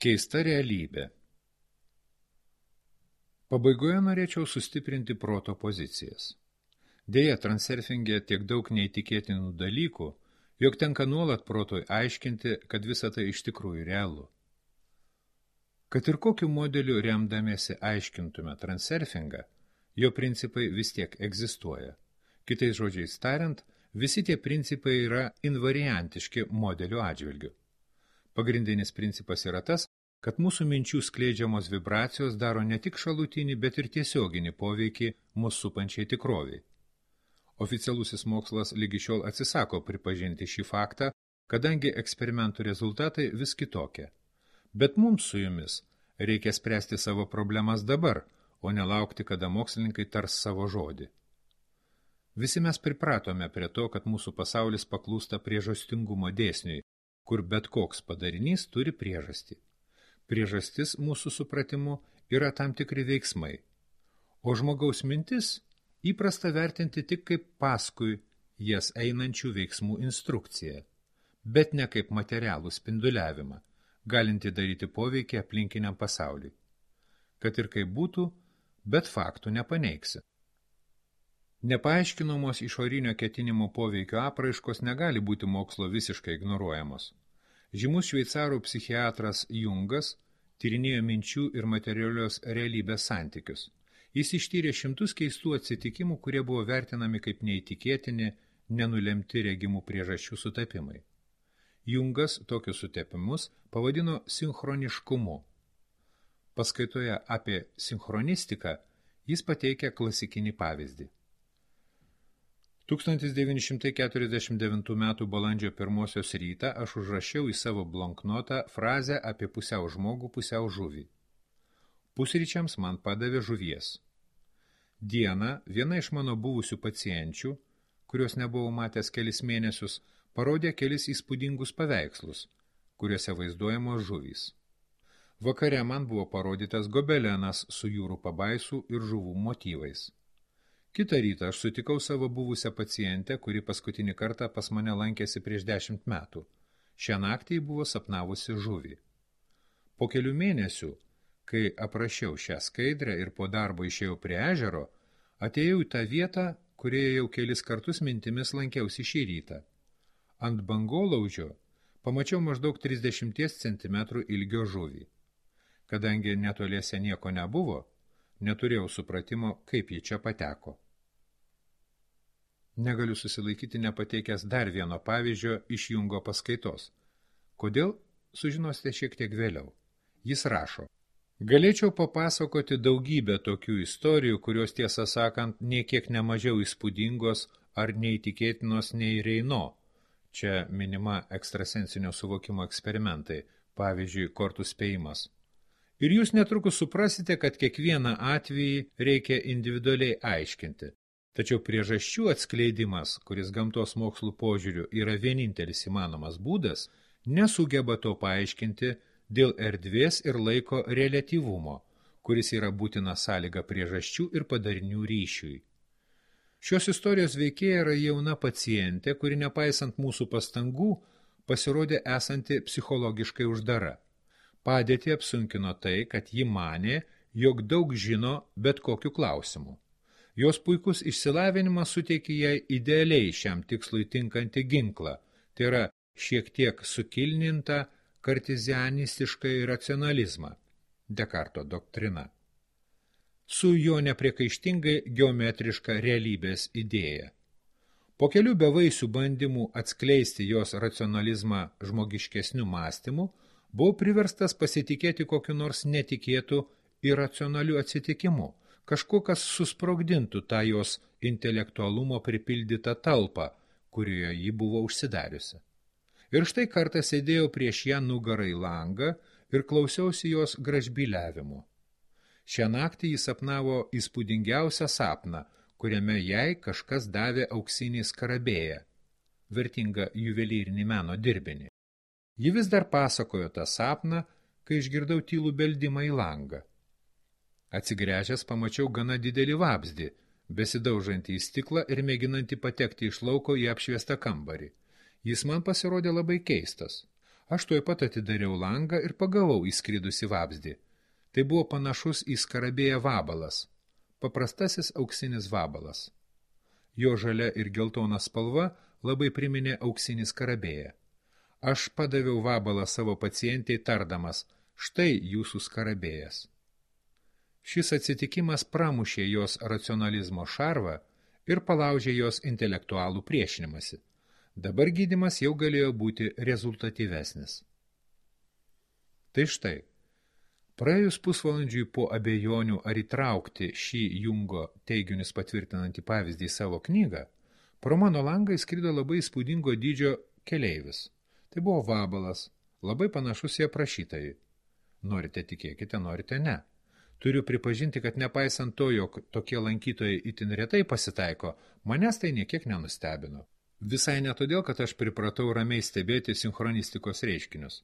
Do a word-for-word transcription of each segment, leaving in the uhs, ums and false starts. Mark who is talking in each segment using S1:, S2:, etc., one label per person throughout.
S1: Keista realybė. Pabaigoje norėčiau sustiprinti proto pozicijas. Deja, transurfinge tiek daug neįtikėtinų dalykų, jog tenka nuolat protui aiškinti, kad visa tai iš tikrųjų realu. Kad ir kokiu modeliu remdamiesi aiškintume transurfingą, jo principai vis tiek egzistuoja. Kitais žodžiais tariant, visi tie principai yra invariantiški modelių atžvilgiu. Pagrindinis principas yra tas, kad mūsų minčių skleidžiamos vibracijos daro ne tik šalutinį, bet ir tiesioginį poveikį mūsų supančiai tikroviai. Oficialusis mokslas lygi šiol atsisako pripažinti šį faktą, kadangi eksperimentų rezultatai vis kitokie. Bet mums su jumis reikia spręsti savo problemas dabar, o nelaukti, kada mokslininkai tars savo žodį. Visi mes pripratome prie to, kad mūsų pasaulis paklūsta priežastingumo dėsniui, kur bet koks padarinys turi priežastį. Priežastis mūsų supratimu yra tam tikri veiksmai, o žmogaus mintis įprasta vertinti tik kaip paskui jas einančių veiksmų instrukciją, bet ne kaip materialų spinduliavimą, galinti daryti poveikį aplinkiniam pasauliui. Kad ir kaip būtų, bet faktų nepaneigsi. Nepaaiškinamos išorinio ketinimo poveikio apraiškos negali būti mokslo visiškai ignoruojamos. Žymus šveicarų psichiatras Jungas tyrinėjo minčių ir materialios realybės santykius. Jis ištyrė šimtus keistų atsitikimų, kurie buvo vertinami kaip neįtikėtini, nenulemti regimų priežasčių sutapimai. Jungas tokius sutapimus pavadino sinchroniškumu. Paskaitoje apie sinchronistiką jis pateikia klasikinį pavyzdį. tūkstantis devyni šimtai keturiasdešimt devintų metų balandžio pirmosios rytą aš užrašiau į savo blonknotą frazę apie pusiau žmogų, pusiau žuvį. Pusryčiams man padavė žuvies. Dieną viena iš mano buvusių pacienčių, kurios nebuvau matęs kelis mėnesius, parodė kelis įspūdingus paveikslus, kuriuose vaizduojamos žuvys. Vakare man buvo parodytas gobelenas su jūrų pabaisų ir žuvų motyvais. Kitą rytą aš sutikau savo buvusią pacientę, kuri paskutinį kartą pas mane lankėsi prieš dešimt metų. Šią naktį ji buvo sapnavusi žuvį. Po kelių mėnesių, kai aprašiau šią skaidrę ir po darbo išėjau prie ežero, atėjau į tą vietą, kurioje jau kelis kartus mintimis lankiausi šį rytą. Ant bangolaužio pamačiau maždaug trisdešimties centimetrų ilgio žuvį. Kadangi netoliese nieko nebuvo, neturėjau supratimo, kaip ji čia pateko. Negaliu susilaikyti nepateikęs dar vieno pavyzdžio iš Jungo paskaitos. Kodėl? Sužinosite šiek tiek vėliau. Jis rašo. Galėčiau papasakoti daugybę tokių istorijų, kurios tiesą sakant nie kiek nemažiau įspūdingos ar neįtikėtinos nei Reino. Čia minima ekstrasensinio suvokimo eksperimentai, pavyzdžiui, kortų spėjimas. Ir jūs netrukus suprasite, kad kiekvieną atvejį reikia individualiai aiškinti. Tačiau priežasčių atskleidimas, kuris gamtos mokslų požiūriu yra vienintelis įmanomas būdas, nesugeba to paaiškinti dėl erdvės ir laiko reliatyvumo, kuris yra būtina sąlyga priežasčių ir padarinių ryšiui. Šios istorijos veikėja yra jauna pacientė, kuri nepaisant mūsų pastangų pasirodė esanti psichologiškai uždara. Padėtį apsunkino tai, kad ji manė, jog daug žino bet kokiu klausimu. Jos puikus išsilavinimas suteikė jai idealiai šiam tikslui tinkantį ginklą, tai yra šiek tiek sukilnintą kartizianistišką racionalizmą, Dekarto doktrina, su jo nepriekaištingai geometriška realybės idėja. Po kelių bevaisių bandymų atskleisti jos racionalizmą žmogiškesnių mąstymų, buvau priverstas pasitikėti kokiu nors netikėtų iracionalių atsitikimu, kažkuo, kas susprogdintų tą jos intelektualumo pripildytą talpą, kurioje ji buvo užsidariusi. Ir štai kartą sėdėjau prieš ją nugarą į langą ir klausiausi jos gražbyliavimo. Šią naktį jis sapnavo įspūdingiausią sapną, kuriame jai kažkas davė auksinį skarabėją, vertingą juvelyrinį meno dirbinį. Ji vis dar pasakojo tą sapną, kai išgirdau tylų beldimą į langą. Atsigręžęs pamačiau gana didelį vabzdį, besidaužantį į stiklą ir mėginantį patekti iš lauko į apšviestą kambarį. Jis man pasirodė labai keistas. Aš tuoj pat atidariau langą ir pagavau įskridusi vabzdį. Tai buvo panašus į skarabėją vabalas, paprastasis auksinis vabalas. Jo žalia ir geltona spalva labai priminė auksinį skarabėją. Aš padaviau vabalą savo pacientei tardamas, štai jūsų skarabėjas. Šis atsitikimas pramušė jos racionalizmo šarvą ir palaužė jos intelektualų priešinimąsi. Dabar gydymas jau galėjo būti rezultatyvesnis. Tai štai, praėjus pusvalandžiui po abejonių ar įtraukti šį Jungo teiginius patvirtinantį pavyzdį į savo knygą, pro mano langą įskrido labai įspūdingo dydžio keleivis. Tai buvo vabalas, labai panašus į aprašytąjį. Norite tikėkite, norite ne. Turiu pripažinti, kad nepaisant to, jog tokie lankytojai itin retai pasitaiko, manęs tai niekiek nenustebino. Visai ne todėl, kad aš pripratau ramiai stebėti sinchronistikos reiškinius.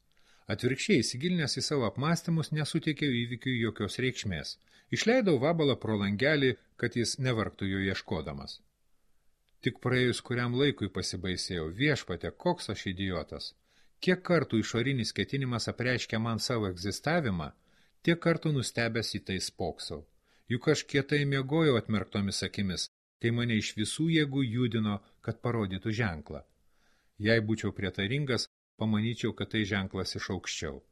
S1: Atvirkščiai, įsigilinęs į savo apmąstymus, nesuteikiau įvykiui jokios reikšmės. Išleidau vabalą pro langelį, kad jis nevargtų jo ieškodamas. Tik praėjus kuriam laikui pasibaisėjau, viešpate, koks aš idiotas. Kiek kartų išorinis ketinimas apreiškia man savo egzistavimą, tiek kartų nustebęs į tai spoksau. Juk aš kietai miegojau atmerktomis akimis, kai mane iš visų jėgų judino, kad parodytų ženklą. Jei būčiau prietaringas, pamanyčiau, kad tai ženklas iš aukščiau.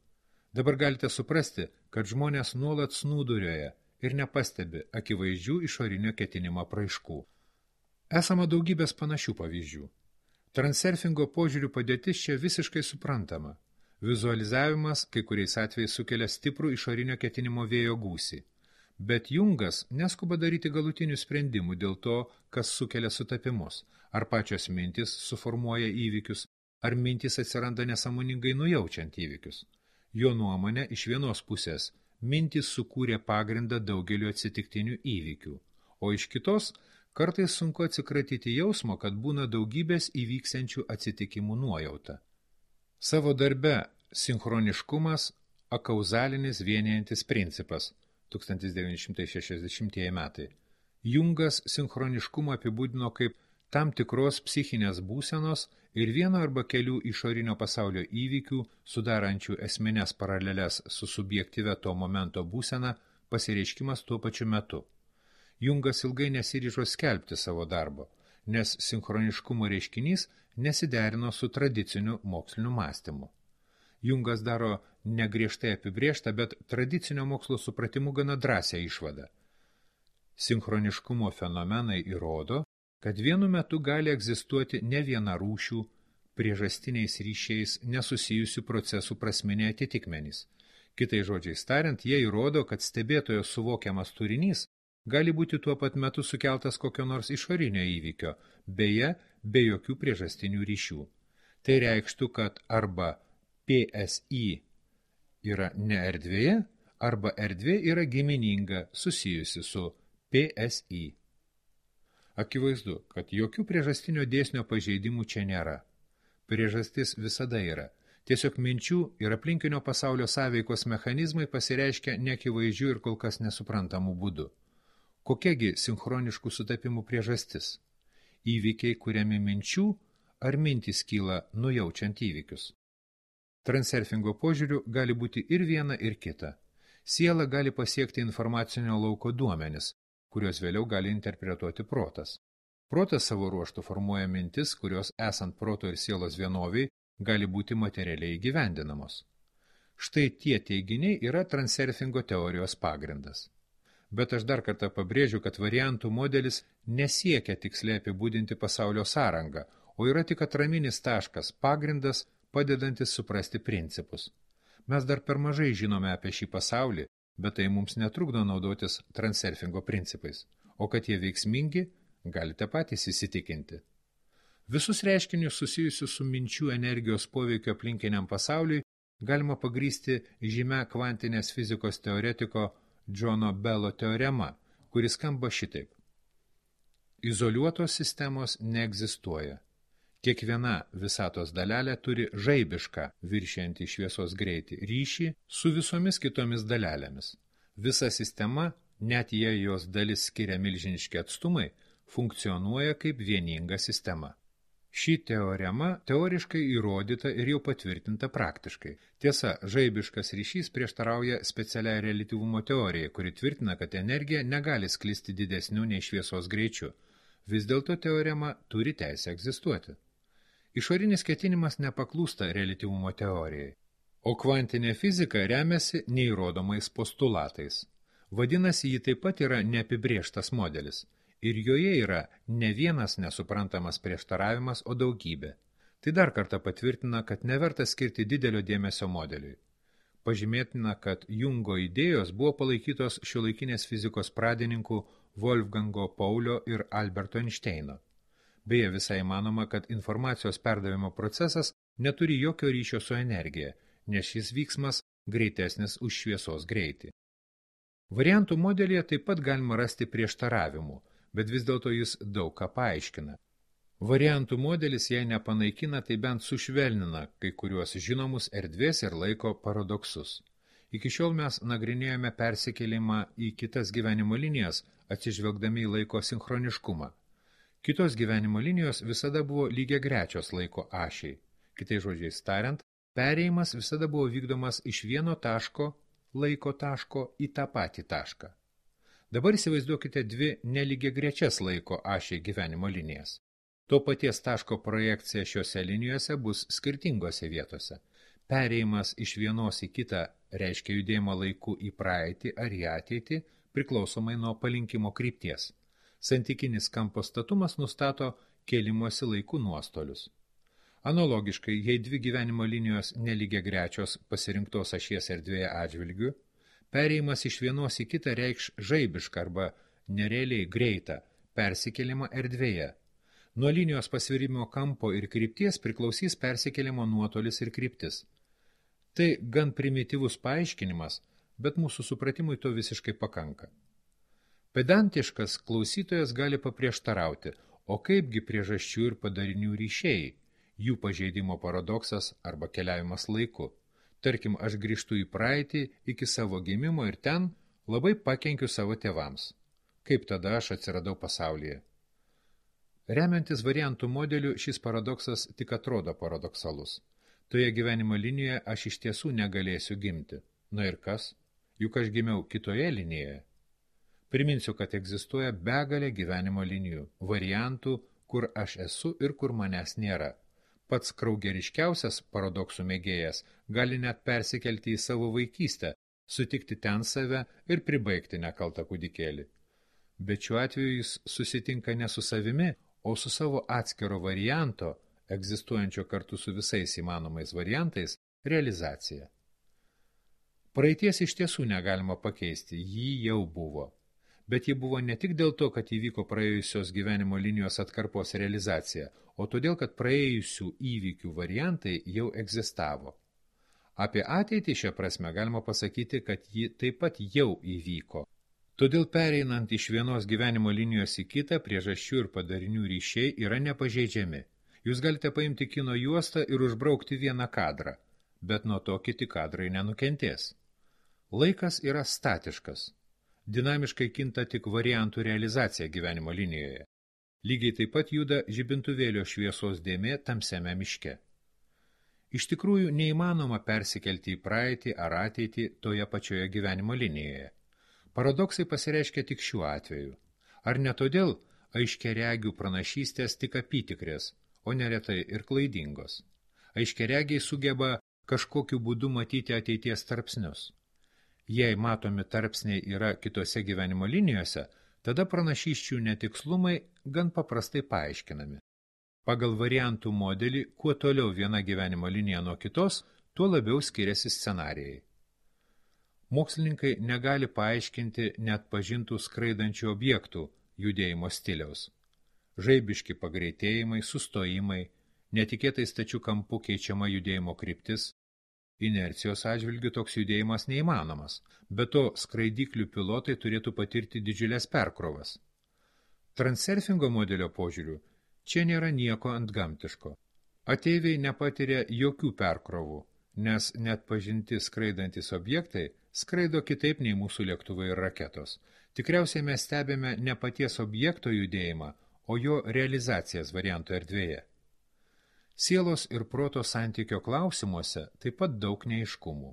S1: Dabar galite suprasti, kad žmonės nuolat snūduriuoja ir nepastebi akivaizdžių išorinio ketinimo apraiškų. Esama daugybės panašių pavyzdžių. Transurfingo požiūrių padėtis čia visiškai suprantama. Vizualizavimas kai kuriais atvejais sukelia stiprų išorinio ketinimo vėjo gūsį. Bet Jungas neskuba daryti galutinių sprendimų dėl to, kas sukelia sutapimus, ar pačios mintis suformuoja įvykius, ar mintis atsiranda nesąmoningai nujaučiant įvykius. Jo nuomonė iš vienos pusės mintis sukūrė pagrindą daugeliu atsitiktinių įvykių, o iš kitos kartais sunku atsikratyti jausmo, kad būna daugybės įvyksiančių atsitikimų nuojauta. Savo darbe sinchroniškumas akauzalinis vienijantis principas tūkstantis devyni šimtai šešiasdešimtieji metai. Jungas sinchroniškumą apibūdino kaip tam tikros psichinės būsenos ir vieno arba kelių išorinio pasaulio įvykių, sudarančių esminės paraleles su subjektyvia to momento būsena, pasireiškimas tuo pačiu metu. Jungas ilgai nesiryžo skelbti savo darbo, nes sinchroniškumo reiškinys nesiderino su tradiciniu moksliniu mąstymu. Jungas daro negriežtai apibrėžtą, bet tradicinio mokslo supratimu gana drąsią išvadą. Sinchroniškumo fenomenai įrodo, kad vienu metu gali egzistuoti ne viena rūšių, priežastiniais ryšiais nesusijusių procesų prasminiai atitikmenys. Kitai žodžiais tariant, jie įrodo, kad stebėtojo suvokiamas turinys gali būti tuo pat metu sukeltas kokio nors išorinio įvykio, beje, be jokių priežastinių ryšių. Tai reikštų, kad arba P S I yra ne erdvėje, arba erdvė yra gimininga susijusi su P S I. Akivaizdu, kad jokių priežastinio dėsnio pažeidimų čia nėra. Priežastis visada yra. Tiesiog minčių ir aplinkinio pasaulio sąveikos mechanizmai pasireiškia neakivaizdžių ir kol kas nesuprantamų būdų. Kokiagi sinchroniškų sutapimų priežastis? Įvykiai kuriami minčių, ar mintys kyla nujaučiant įvykius? Transurfingo požiūriu gali būti ir viena, ir kita. Siela gali pasiekti informacinio lauko duomenis, kurios vėliau gali interpretuoti protas. Protas savo ruožtu formuoja mintis, kurios esant proto ir sielos vienoviai gali būti materialiai įgyvendinamos. Štai tie teiginiai yra transurfingo teorijos pagrindas. Bet aš dar kartą pabrėžiu, kad variantų modelis nesiekia tiksliai apibūdinti pasaulio sąrangą, o yra tik atraminis taškas, pagrindas, padedantis suprasti principus. Mes dar per mažai žinome apie šį pasaulį, bet tai mums netrukdo naudotis transurfingo principais, o kad jie veiksmingi, galite patys įsitikinti. Visus reiškinius susijusius su minčių energijos poveikio aplinkiniam pasauliui galima pagrįsti žymia kvantinės fizikos teoretiko Džono Bello teorema, kuris skamba šitaip. Izoliuotos sistemos neegzistuoja. Kiekviena visatos dalelė turi žaibišką, viršijantį šviesos greitį, ryšį su visomis kitomis dalelėmis. Visa sistema, net jei jos dalis skiria milžiniški atstumai, funkcionuoja kaip vieninga sistema. Ši teorema teoriškai įrodyta ir jau patvirtinta praktiškai. Tiesa, žaibiškas ryšys prieštarauja specialiai reliatyvumo teorijai, kuri tvirtina, kad energija negali sklisti didesniu nei šviesos greičiu. Vis dėlto teorema turi teisę egzistuoti. Išorinis ketinimas nepaklūsta reliatyvumo teorijai, o kvantinė fizika remiasi neįrodomais postulatais. Vadinasi, ji taip pat yra neapibrėžtas modelis. Ir joje yra ne vienas nesuprantamas prieštaravimas, o daugybė. Tai dar kartą patvirtina, kad neverta skirti didelio dėmesio modeliui. Pažymėtina, kad Jungo idėjos buvo palaikytos šiuolaikinės fizikos pradininkų Wolfgango Paulio ir Alberto Einšteino. Beje, visai manoma, kad informacijos perdavimo procesas neturi jokio ryšio su energija, nes šis vyksmas greitesnis už šviesos greitį. Variantų modelyje taip pat galima rasti prieštaravimų, bet vis dėlto jis daug ką paaiškina. Variantų modelis, jei nepanaikina, tai bent sušvelnina kai kuriuos žinomus erdvės ir laiko paradoksus. Iki šiol mes nagrinėjome persikėlimą į kitas gyvenimo linijas, atsižvelgdami į laiko sinchroniškumą. Kitos gyvenimo linijos visada buvo lygiagrečios laiko ašiai. Kitais žodžiais tariant, perėjimas visada buvo vykdomas iš vieno taško, laiko taško į tą patį tašką. Dabar įsivaizduokite dvi nelygiagrečias laiko ašiai gyvenimo linijas. To paties taško projekcija šiuose linijose bus skirtingose vietose. Perėjimas iš vienos į kitą reiškia judėjimą laiku į praeitį ar į ateitį, priklausomai nuo palinkimo krypties. Santykinis kampo statumas nustato kėlimosi laikų nuostolius. Analogiškai, jei dvi gyvenimo linijos nelygiagrečios pasirinktos ašies erdvėje atžvilgiu, perėjimas iš vienos į kitą reikš žaibišką arba nerealiai greitą persikėlimą erdvėje. Nuo linijos pasvirimo kampo ir krypties priklausys persikėlimo nuotolis ir kryptis. Tai gan primityvus paaiškinimas, bet mūsų supratimui to visiškai pakanka. Pedantiškas klausytojas gali paprieštarauti, o kaipgi priežasčių ir padarinių ryšiai, jų pažeidimo paradoksas arba keliavimas laiku. Tarkim, aš grįžtu į praeitį iki savo gimimo ir ten labai pakenkiu savo tėvams. Kaip tada aš atsiradau pasaulyje? Remiantis variantų modeliu, šis paradoksas tik atrodo paradoksalus. Toje gyvenimo linijoje aš iš tiesų negalėsiu gimti. Na ir kas? Juk aš gimiau kitoje linijoje. Priminsiu, kad egzistuoja begalė gyvenimo linijų, variantų, kur aš esu ir kur manęs nėra. Pats kraugeriškiausias paradoksų mėgėjas gali net persikelti į savo vaikystę, sutikti ten save ir pribaigti nekaltą kūdikėlį. Bet šiuo atveju jis susitinka ne su savimi, o su savo atskiro varianto, egzistuojančio kartu su visais įmanomais variantais, realizacija. Praeities iš tiesų negalima pakeisti, jį jau buvo. Bet ji buvo ne tik dėl to, kad įvyko praėjusios gyvenimo linijos atkarpos realizacija, o todėl, kad praėjusių įvykių variantai jau egzistavo. Apie ateitį šią prasme galima pasakyti, kad ji taip pat jau įvyko. Todėl pereinant iš vienos gyvenimo linijos į kitą, priežasčių ir padarinių ryšiai yra nepažeidžiami. Jūs galite paimti kino juostą ir užbraukti vieną kadrą, bet nuo to kiti kadrai nenukentės. Laikas yra statiškas. Dinamiškai kinta tik variantų realizacija gyvenimo linijoje. Lygiai taip pat juda žibintuvėlio šviesos dėmė tamsiame miške. Iš tikrųjų, neįmanoma persikelti į praeitį ar ateitį toje pačioje gyvenimo linijoje. Paradoksai pasireiškia tik šiuo atveju. Ar ne todėl aiškiaregių pranašystės tik apytikrės, o neretai ir klaidingos? Aiškiaregiai sugeba kažkokiu būdu matyti ateities tarpsnius. Jei matomi tarpsniai yra kitose gyvenimo linijose, tada pranašysčių netikslumai gan paprastai paaiškinami. Pagal variantų modelį, kuo toliau viena gyvenimo linija nuo kitos, tuo labiau skiriasi scenarijai. Mokslininkai negali paaiškinti net pažintų skraidančių objektų judėjimo stiliaus. Žaibiški pagreitėjimai, sustojimai, netikėtai stačių kampų keičiama judėjimo kryptis. Inercijos atžvilgiu toks judėjimas neįmanomas, be to skraidyklių pilotai turėtų patirti didžiulės perkrovas. Transurfingo modelio požiūriu čia nėra nieko antgamtiško. Ateiviai nepatiria jokių perkrovų, nes net pažinti skraidantis objektai skraido kitaip nei mūsų lėktuvai ir raketos. Tikriausiai mes stebime ne paties objekto judėjimą, o jo realizacijas variantų erdvėje. Sielos ir proto santykio klausimuose taip pat daug neaiškumų.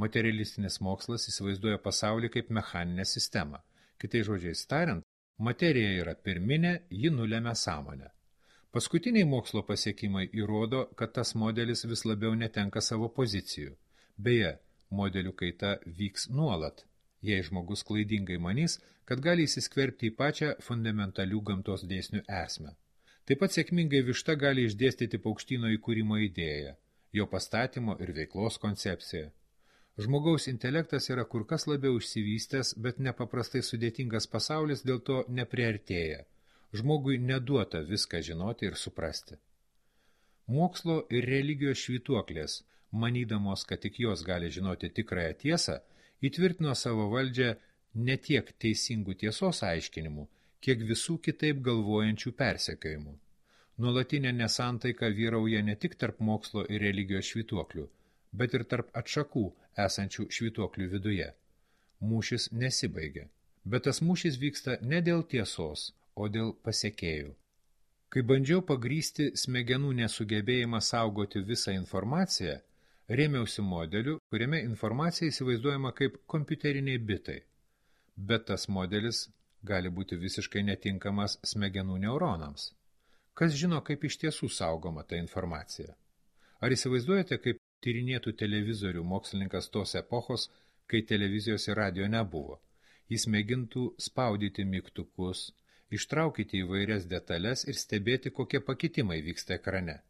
S1: Materialistinis mokslas įsivaizduoja pasaulį kaip mechaninę sistemą. Kitais žodžiais tariant, materija yra pirminė, ji nulemia sąmonę. Paskutiniai mokslo pasiekimai įrodo, kad tas modelis vis labiau netenka savo pozicijų. Beje, modelių kaita vyks nuolat, jei žmogus klaidingai manys, kad gali įsiskverbti į pačią fundamentalių gamtos dėsnių esmę. Taip pat sėkmingai višta gali išdėstyti paukštyno įkūrimo idėją, jo pastatymo ir veiklos koncepciją. Žmogaus intelektas yra kur kas labiau išsivystęs, bet nepaprastai sudėtingas pasaulis dėl to nepriartėja. Žmogui neduota viską žinoti ir suprasti. Mokslo ir religijos švytuoklės, manydamos, kad tik jos gali žinoti tikrąją tiesą, įtvirtino savo valdžią ne tiek teisingų tiesos aiškinimų, kiek visų kitaip galvojančių persekiojimų. Nuolatinė nesantaika vyrauja ne tik tarp mokslo ir religijos švytuoklių, bet ir tarp atšakų esančių švytuoklių viduje. Mūšis nesibaigia, bet tas mūšis vyksta ne dėl tiesos, o dėl pasekėjų. Kai bandžiau pagrysti smegenų nesugebėjimą saugoti visą informaciją, rėmiausi modeliu, kuriame informacija įsivaizduojama kaip kompiuteriniai bitai. Bet tas modelis gali būti visiškai netinkamas smegenų neuronams. Kas žino, kaip iš tiesų saugoma ta informacija? Ar įsivaizduojate, kaip tyrinėtų televizorių mokslininkas tos epochos, kai televizijos ir radio nebuvo? Jis mėgintų spaudyti mygtukus, ištraukyti įvairias detalės ir stebėti, kokie pakitimai vyksta ekrane.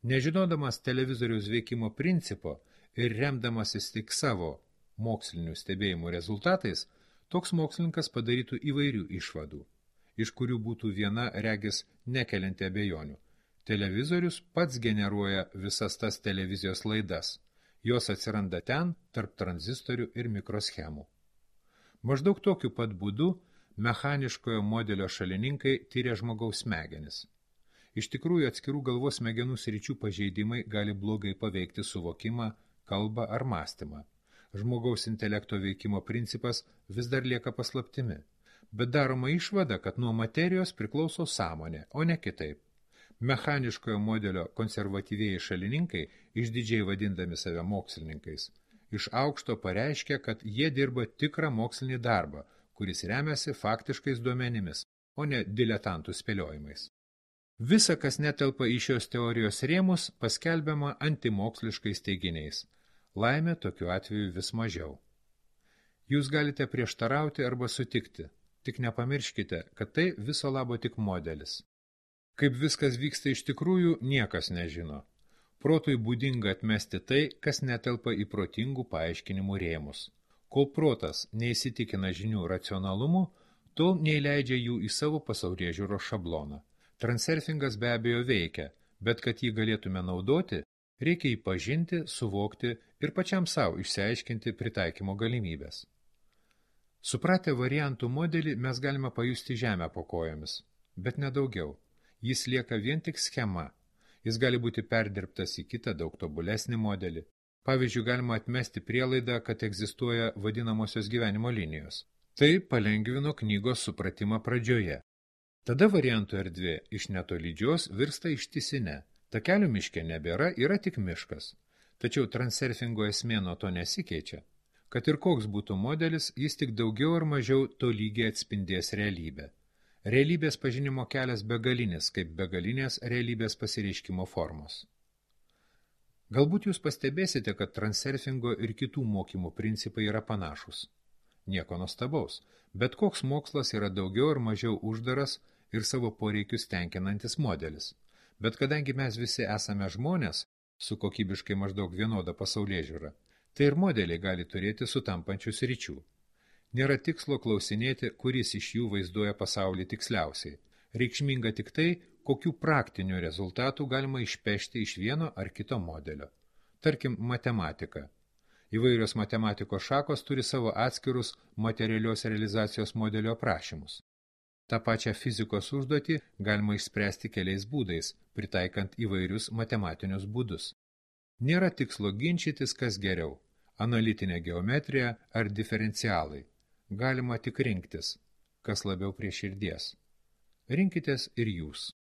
S1: Nežinodamas televizoriaus veikimo principo ir remdamasis tik savo mokslinių stebėjimų rezultatais, toks mokslininkas padarytų įvairių išvadų, iš kurių būtų viena regis nekelianti abejonių. Televizorius pats generuoja visas tas televizijos laidas. Jos atsiranda ten, tarp tranzistorių ir mikroschemų. Maždaug tokiu pat būdu mechaniškojo modelio šalininkai tyria žmogaus smegenis. Iš tikrųjų, atskirų galvos smegenų sričių pažeidimai gali blogai paveikti suvokimą, kalbą ar mąstymą. Žmogaus intelekto veikimo principas vis dar lieka paslaptimi, bet daroma išvada, kad nuo materijos priklauso sąmonė, o ne kitaip. Mechaniškojo modelio konservatyvieji šalininkai, išdidžiai vadindami save mokslininkais, iš aukšto pareiškia, kad jie dirba tikrą mokslinį darbą, kuris remiasi faktiškais duomenimis, o ne diletantų spėliojimais. Visa, kas netelpa į šios teorijos rėmus, paskelbiama antimoksliškais teiginiais. Laimė tokiu atveju vis mažiau. Jūs galite prieštarauti arba sutikti, tik nepamirškite, kad tai viso labo tik modelis. Kaip viskas vyksta iš tikrųjų, niekas nežino. Protui būdinga atmesti tai, kas netelpa į protingų paaiškinimų rėmus. Kol protas neįsitikina žinių racionalumu, tol neįleidžia jų į savo pasaulėžiūros šabloną. Transurfingas be abejo veikia, bet kad jį galėtume naudoti, reikia jį pažinti, suvokti ir pačiam savo išsiaiškinti pritaikymo galimybės. Supratę variantų modelį mes galime pajusti žemę po kojomis, bet nedaugiau. Jis lieka vien tik schema. Jis gali būti perdirbtas į kitą daug tobulesnį modelį. Pavyzdžiui, galima atmesti prielaidą, kad egzistuoja vadinamosios gyvenimo linijos. Tai palengvino knygos supratimą pradžioje. Tada variantų erdvė iš netolydžios virsta ištisine. Takelių miške nebėra, yra tik miškas. Tačiau transurfingo esmė nuo to nesikeičia. Kad ir koks būtų modelis, jis tik daugiau ar mažiau tolygiai atspindės realybę. Realybės pažinimo kelias begalinis, kaip begalinės realybės pasireiškimo formos. Galbūt jūs pastebėsite, kad transurfingo ir kitų mokymų principai yra panašus. Nieko nuostabaus, bet koks mokslas yra daugiau ar mažiau uždaras ir savo poreikius tenkinantis modelis. Bet kadangi mes visi esame žmonės, su kokybiškai maždaug vienoda pasaulėžiūra, tai ir modeliai gali turėti sutampančius ryčių. Nėra tikslo klausinėti, kuris iš jų vaizduoja pasaulį tiksliausiai. Reikšminga tik tai, kokių praktinių rezultatų galima išpešti iš vieno ar kito modelio. Tarkim, matematika. Įvairios matematikos šakos turi savo atskirus materialios realizacijos modelio aprašymus. Ta pačią fizikos užduotį galima išspręsti keliais būdais, pritaikant įvairius matematinius būdus. Nėra tikslo ginčytis, kas geriau – analitinė geometrija ar diferencialai. Galima tik rinktis, kas labiau prie širdies. Rinkitės ir jūs.